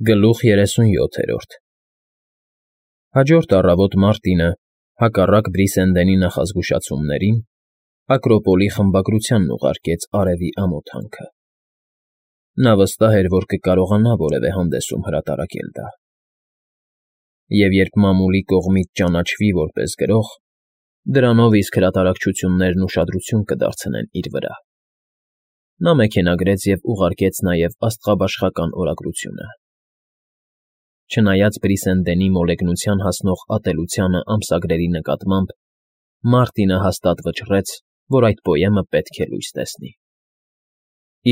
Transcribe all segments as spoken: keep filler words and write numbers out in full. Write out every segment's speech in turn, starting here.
Գլուխ երեսունյոթերորդ Հաջորդ առավոտ Մարտինը, հակառակ Բրիսենդենի նախազգուշացումներին, Ակրոպոլի խմբագրությանն ուղարկեց արևի ամոթանքը. նա վստահ էր, որ կկարողանա որևէ հանդեսում հրատարակել դա, և երբ մամուլի կողմից ճանաչվի որպես գրող, դրանով իսկ հրատարակչություններն ուշադրություն կդարձնեն իր վրա. նա մեքենագրեց և ուղարկեց նաև աստղաբաշխական օրագրությունը. Չնայած Բրիսենդենի մոլեգնության հասնող ատելությանը ամսագրերի նկատմամբ, Մարտինը հաստատ վճռեց, որ այդ պոեմը պետք է լույս տեսնի.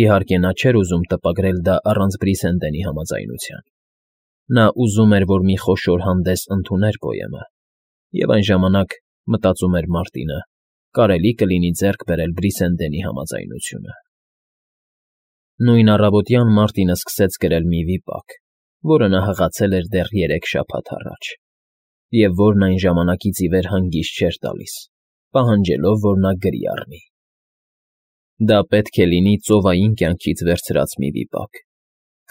իհարկե նա չէր ուզում տպագրել դա առանց Բրիսենդենի համաձայնության. նա ուզում էր, որ մի խոշոր հանդես ընդուներ պոեմը, և այն ժամանակ, մտածում էր Մարտինը, կարելի կլինի ձեռք բերել Բրիսենդենի համաձայնությունը։ Նույն առավոտյան Մարտինը սկսեց գրել մի վիպակ, որը նա հղացել էր դեռ երեք շաբաթ առաջ, և որն այն ժամանակից ի վեր հանգիստ չէր տալիս, պահանջելով, որ նա գրի առնի. դա պետք է լինի ծովային կյանքից վերցրած մի վիպակ,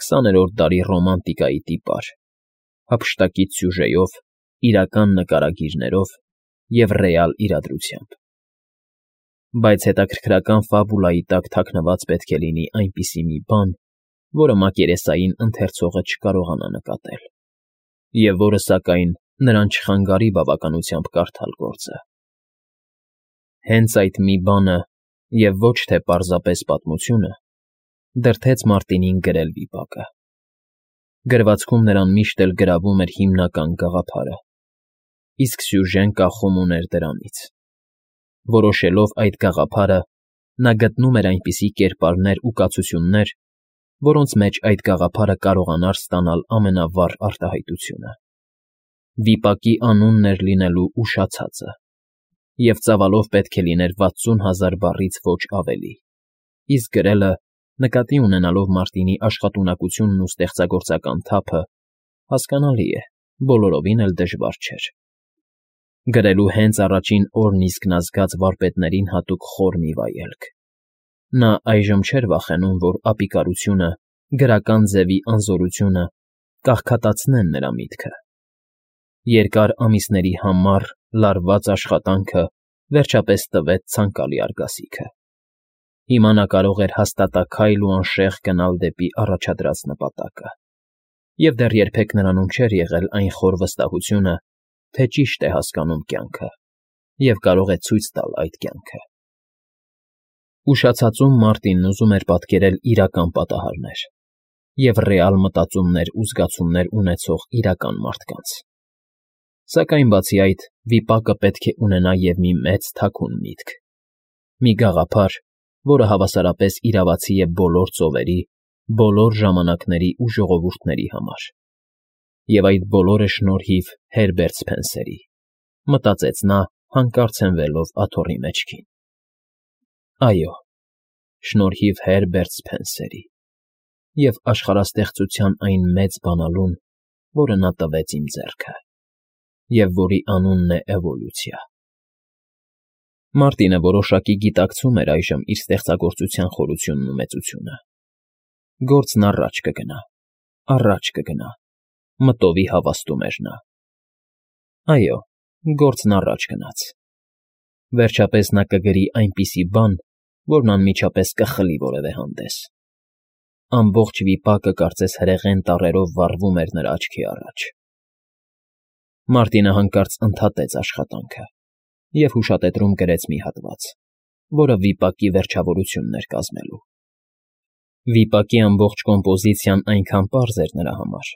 քսաներորդ դարի ռոմանտիկայի տիպար, հափշտակից սյուժեով, իրական նկարագիրներով և ռեալ իրադրությամբ։ Բայց հետաքրքրական ֆաբուլայի տակ թաքնված պետք է լինի այնպիսի մի բան, որը մակերեսային ընթերցողը չկարողանա նկատել, և որը, սակայն, նրան չխանգարի բավականությամբ կարդալ գործը։ Հենց այդ մի բանը, և ոչ թե պարզապես պատմությունը, դրդեց Մարտինին գրել վիպակը։ Գրվածքում նրան միշտ էլ գրավում էր հիմնական գաղափարը, իսկ սյուժեն կախում ուներ դրանից։ Որոշելով այդ գաղափարը, նա գտնում էր այնպիսի կերպարներ ու կացություններ, որոնց մեջ այդ գաղափարը կարողանար ստանալ ամենավառ արտահայտությունը։ Վիպակի անունն էր լինելու «Ուշացածը», և ծավալով պետք է լիներ վաթսուն հազար բառից ոչ ավելի, իսկ գրելը, նկատի ունենալով Մարտինի աշխատունակությունն ու ստեղծագործական թափը, հասկանալի է, բոլորովին էլ դժվար չէր։ Գրելու հենց առաջին օրն իսկ նա զգաց վարպետներին հատուկ խոր մի վայելք։ Նա այժմ չէր վախենում, որ ապիկարությունը, գրական ձևի անզորությունը կաղքատացնեն նրա միտքը։ Երկար ամիսների համառ, լարված աշխատանքը վերջապես տվեց ցանկալի արգասիքը։ Հիմա նա կարող էր հաստատաքայլ ու անշեղ գնալ դեպի առաջադրած նպատակը, և դեռ երբեք նրանում չէր եղել այն խոր վստահությունը, թե ճիշտ է հասկանում կյանքը և կարող է ցույց տալ այդ կյանքը։ Ուշացածում Մարտինն ուզում էր պատկերել իրական պատահարներ և ռեալ մտածումներ ու զգացումներ ունեցող իրական մարդկանց։ Սակայն բացի այդ, վիպակը պետք է ունենա և մի մեծ թաքուն միտք, մի գաղափար, որը հավասարապես իրավացի է բոլոր ծովերի, բոլոր ժամանակների ու ժողովուրդների համար։ Եվ այդ բոլորը շնորհիվ Հերբերտ Սփենսերի, մտածեց նա, հանկարծ հենվելով աթոռի մեջքին։ Այո, շնորհիվ Հերբերտ Սփենսերի և աշխարհաստեղծության այն մեծ բանալուն, որը նա տվեց իմ ձեռքը, և որի անունն է էվոլյուցիա։ Մարտինը որոշակի գիտակցում էր այժմ իր ստեղծագործության խորությունն ու մեծությունը։ Գործն առաջ կգնա, առաջ կգնա, մտովի հավաստում էր նա։ Այո, գործն առաջ գնաց։ Վերջապես նա կգրի այնպիսի բան, որն անմիջապես կխլի որևէ հանդես։ Ամբողջ վիպակը կարծես հրեղեն տառերով վառվում էր նրա աչքի առաջ։ Մարտինը հանկարծ ընդհատեց աշխատանքը և հուշատետրում գրեց մի հատված, որը վիպակի վերջավորությունն էր կազմելու։ Վիպակի ամբողջ կոմպոզիցիան այնքան պարզ էր նրա համար,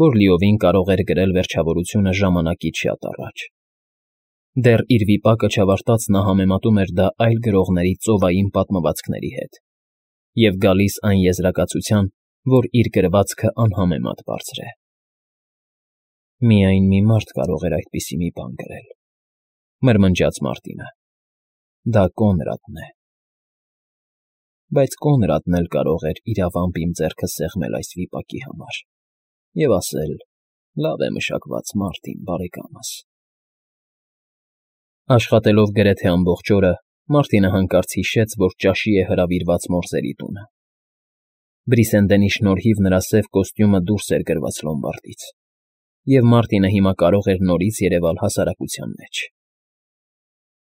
որ լիովին կարող էր գրել վերջավորությունը ժամանակից շատ առաջ։ Դեռ իր վիպակը չավարտած նա համեմատում էր դա այլ գրողների ծովային պատմվածքների հետ և գալիս այն եզրակացության, որ իր գրվածքը անհամեմատ բարձր է։ «Միայն մի մարդ կարող էր այդպիսի մի բան գրել», մրմնջաց Մարտինը։ «Դա Կոնրադն է»։ Բայց Կոնրադն էլ կարող էր իրավամբ իմ ձեռքը սեղմել այս վիպակի համար և ասել. «Լավ է մշակված, Մարտին բարեկամս»։ Աշխատելով գրեթե ամբողջ օրը, Մարտինը հանկարծ հիշեց, որ ճաշի է հրավիրված մորզերի տունը։ Բրիսենդենի շնորհիվ նրա սև կոստյումը դուրս էր գրված լոմբարդից, և Մարտինը հիմա կարող էր նորից երևալ հասարակության մեջ։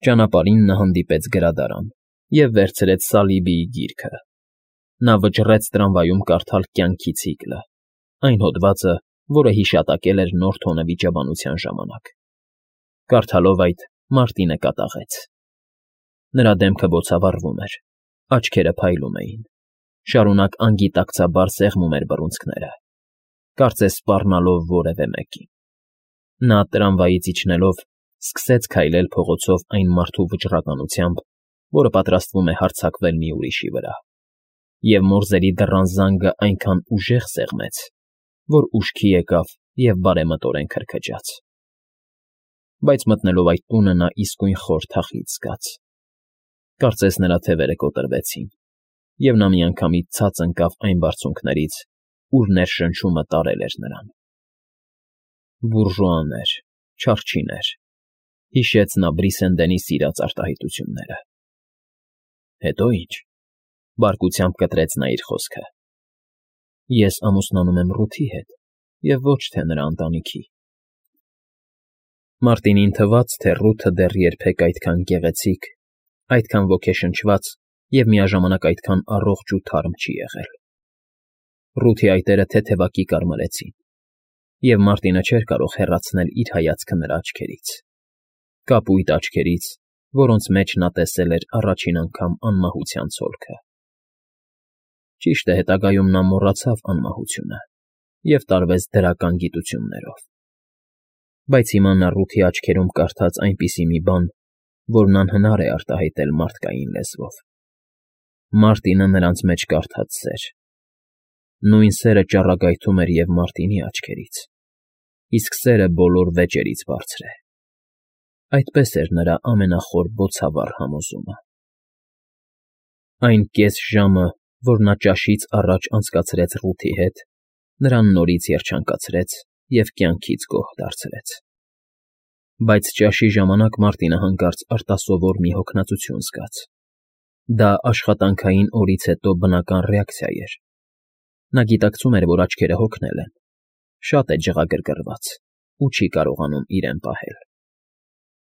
Ճանապարհին նա հանդիպեց գրադարան և վերցրեց Սալիբիի գիրքը։ Նա վճռեց տրամվայում կարդալ «Կյանքի ցիկլը», այն հոդվածը, որը հիշատակել էր նոր թոնը վիճաբանության ժամանակ։ Կարդալով այդ, Մարտինը կատաղեց։ Նրա դեմքը բոցավառվում էր, աչքերը փայլում էին, շարունակ անգիտակցաբար սեղմում էր բռունցքները, կարծես սպառնալով որևէ մեկին։ Նա տրամվայից իջնելով սկսեց քայլել փողոցով այն մարդու վճռականությամբ, որը պատրաստվում է հարձակվել մի ուրիշի վրա, և մորզերի դռան զանգը այնքան ուժեղ սեղմեց, որ ուշքի եկավ և բարեմտորեն քրքջաց։ Բայց մտնելով այդ տունը նա իսկույն խոր թախիծ զգաց։ Կարծես նրա թևերը կոտրվեցին, և նա միանգամից ցած ընկավ այն բարձունքներից, ուր ներշնչումը տարել էր նրան։ Բուրժուաներ, չարչիներ, հիշեց նա Բրիսենդենի սիրած արտահայտությունները։ Հետո ի՞նչ, բարկությամբ կտրեց նա իր խոսքը։ Ես ամուսնանում եմ Ռութի հետ և ոչ թե նրա ընտանիքի։ Մարտինին թվաց, թե Ռութը դեռ երբեք այդքան գեղեցիկ, այդքան ոգեշնչված և միաժամանակ այդքան առողջ ու թարմ չի եղել։ Ռութի այտերը թեթևակի կարմրեցին, և Մարտինը չէր կարող հեռացնել իր հայացքը նրա աչքերից, կապույտ աչքերից, որոնց մեջ նա տեսել էր առաջին անգամ անմահության ցոլքը։ Ճիշտ է, հետագայում նա մոռացավ անմահությունը և տարվեց դրական գիտություններով։ Բայց հիմա նա Ռութի աչքերում կարդաց այնպիսի մի բան, որն անհնար է արտահայտել մարդկային լեզվով։ Մարտինը նրանց մեջ կարդաց սեր։ Նույն սերը ճառագայթում էր և Մարտինի աչքերից, իսկ սերը բոլոր վեճերից բարձր է։ Այդպես էր նրա ամենախոր բոցավառ համոզումը։ Այն կես ժամը, որ նա ճաշից առաջ անցկացրեց Ռութի հետ, նրան նորից երջանկացրեց և կյանքից գոհ դարձրեց։ Բայց ճաշի ժամանակ Մարտինը հանկարծ արտասովոր մի հոգնածություն զգաց։ Դա աշխատանքային օրից հետո բնական ռեակցիա էր։ Նա գիտակցում էր, որ աչքերը հոգնել են, շատ է ջղագրգռված ու չի կարողանում իրեն պահել։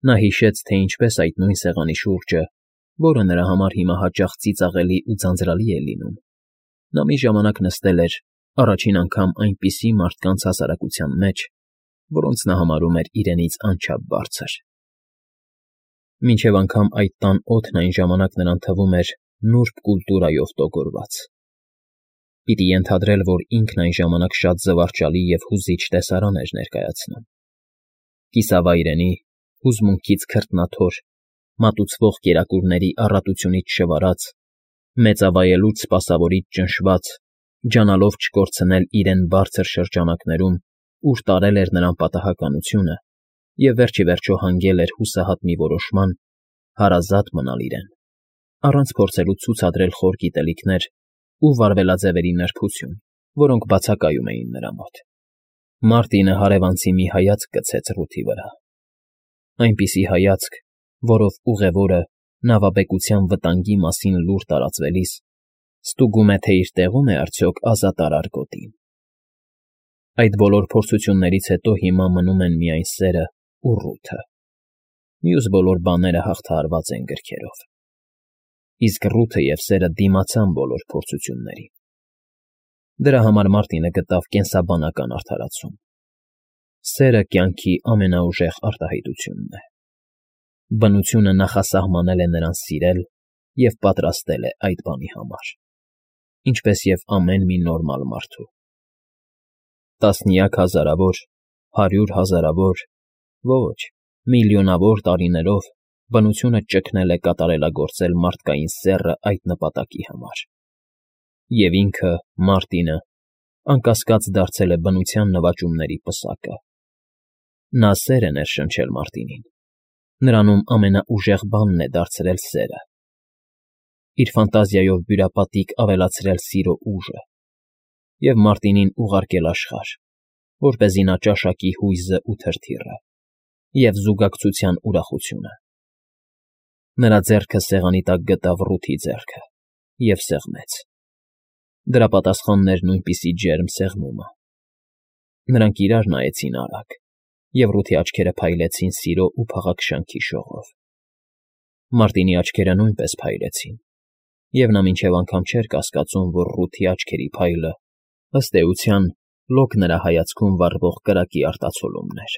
Նա հիշեց, թե ինչպես այդ նույն սեղանի շուրջը, որը նրա համար հիմա հաճախ ծիծաղելի ու ձանձրալի է լինում, նա մի ժամանակ նստել էր, առաջին անգամ այնպիսի մարդկանց հասարակության մեջ, որոնց նա համարում էր իրենից անչափ բարձր։ Մինչև անգամ այդ տան օդն այն ժամանակ նրան թվում էր նուրբ կուլտուրայով տոգորված։ Պիտի ենթադրել, որ ինքն այն ժամանակ շատ զվարճալի և հուզիչ տեսարան էր ներկայացնում։ Կիսավայրենի, հուզմունքից քրտնաթոր, մատուցվող կերակուրների առատությունից շվարած, մեծավայելուց սպասավորից ճնշված, ջանալով չկորցնել իրեն բարձր շրջանակներում, ուր տարել էր նրան պատահականությունը և վերջ ի վերջո հանգել էր հուսահատ մի որոշման հարազատ մնալ իրեն, առանց փորձելու ցուցադրել խոր գիտելիքներ ու վարվելաձևերի նրբություն, որոնք բացակայում էին նրա մոտ։ Մարտինը հարևանցի մի հայացք գցեց Ռութի վրա։ Այնպիսի հայացք, որով ուղևորը, նավաբեկության վտանգի մասին լուր տարածվելիս, ստուգում է, թե իր տեղո՞ւմ է արդյոք ազատարար գոտին։ Այդ բոլոր փորձություններից հետո հիմա մնում են միայն սերը ու Ռութը։ Մյուս բոլոր բաները հաղթահարված են գրքերով։ Իսկ Ռութը և սերը դիմացան բոլոր փորձություններին։ Դրա համար Մարտինը գտավ կենսաբանական արդարացում։ Սերը կյանքի ամենաուժեղ արտահայտությունն է։ Բնությունը նախասահմանել է նրան սիրել և պատրաստել է այդ բանի համար, ինչպես և ամեն մի նորմալ մարդու։ Տասնյակ հազարավոր, հարյուր հազարավոր, ոչ, միլիոնավոր տարիներով բնությունը ճգնել է կատարելագործել մարդկային սեռը այդ նպատակի համար։ Եվ ինքը, Մարտինը, անկասկած դարձել է բնության նվաճումների պսակը։ Նա սեր է ներշնչել Մարտինին, նրանում ամենաուժեղ բանն է դարձրել սերը, իր ֆանտազիայով բյուրապատիկ ավելացրել սիրո ուժը և Մարտինին ուղարկել աշխարհ, որպեսզի նա ճաշակի հույզն ու թրթիռը և զուգակցության ուրախությունը։ Նրա ձեռքը սեղանի տակ գտավ Ռութի ձեռքը և սեղմեց։ Դրա պատասխանն էր նույնպիսի ջերմ սեղմումը։ Նրանք իրար նայեցին արագ, և Ռութի աչքերը փայլեցին սիրո ու փաղաքշանքի շողով։ Մարտինի աչքերը նույնպես փայլեցին, և նա մինչև անգամ չէր կասկածում, որ Ռութի աչքերի փայլը, ըստ էության, լոկ նրա հայացքում վառվող կրակի արտացոլումն էր։